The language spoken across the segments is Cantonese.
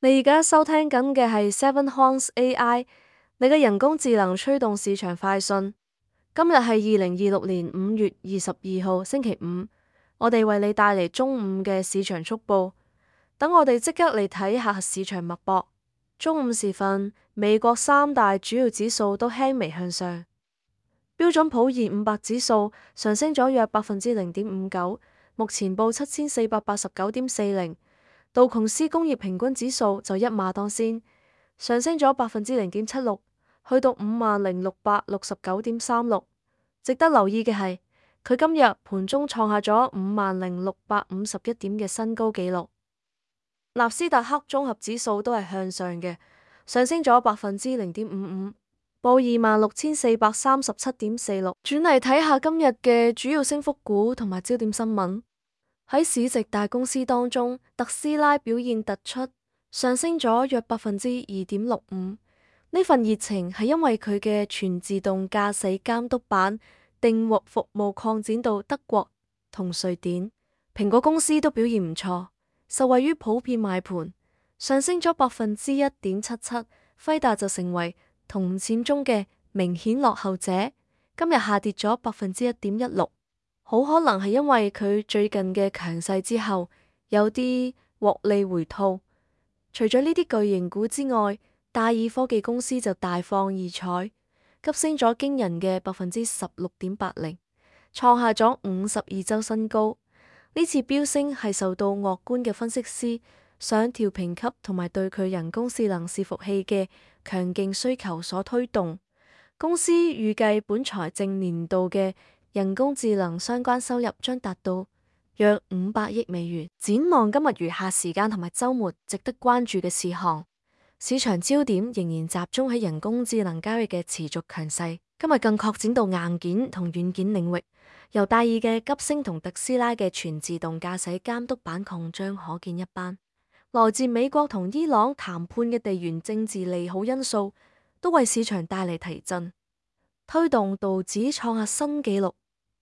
你而家收聽緊嘅係 Seven Horns AI，你嘅人工智能驅動市場快訊。今日係2026年5月22號星期五，我哋為你帶嚟中午嘅市場速報。等我哋即刻嚟睇下市場脈搏。中午時分，美國三大主要指數都輕微向上，標準普爾500指數上升咗約0.59%，目前報7489.40。道瓊斯工業平均指數就一馬當先，上升咗0.76%，去到50,669.36。值得留意嘅係，佢今日盤中創下咗50,651點嘅新高紀錄。納斯達克綜合指數都係向上嘅，上升咗0.55%，報26,437.46。轉嚟睇下今日嘅主要升幅股同埋焦點新聞。喺市值大公司當中，特斯拉表現突出，上升咗約2.65%。呢份熱情係因為佢嘅全自動駕駛監督版訂獲服務擴展到德國同瑞典。蘋果公司都表現唔錯，受惠於普遍買盤，上升咗1.77%。輝達就成為同線中嘅明顯落後者，今日下跌咗1.16%。好可能係因為佢最近嘅強勢之後有啲獲利回吐。除咗呢啲巨型股之外，戴爾科技公司就大放異彩，急升咗驚人嘅16.80%，創下咗52周新高。呢次飆升係受到樂觀嘅分析師上調評級同埋對佢人工智能伺服器嘅強勁需求所推動。公司預計本財政年度嘅人工智能相關收入將達到約500億美元。展望今日餘下時間同埋週末，值得關注嘅事項，市場焦點仍然集中喺人工智能交易嘅持續強勢。今日更擴展到硬件同軟件領域，由戴爾嘅急升同特斯拉嘅全自動駕駛監督版擴張可見一斑。來自美國同伊朗談判嘅地緣政治利好因素，都為市場帶嚟提振，推動道指創下新紀錄。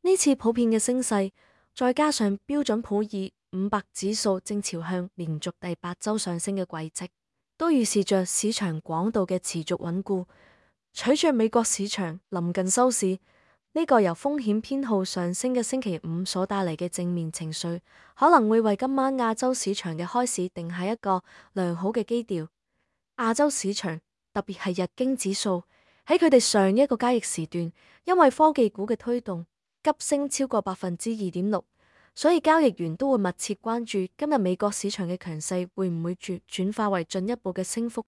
呢次普遍嘅升勢，再加上標準普爾500指數正朝向連續第8周上升嘅軌跡，都預示着市場廣度嘅持續穩固。隨着美國市場臨近收市，呢個由風險偏好上升嘅星期五所帶嚟嘅正面情緒，可能會為今晚亞洲市場嘅開市定下一個良好嘅基調。亞洲市場特別係日經指數喺佢哋上一個交易時段，因為科技股嘅推動急升超過2.6%，所以交易員都會密切關注今日美國市場嘅強勢會唔會轉化為進一步嘅升幅。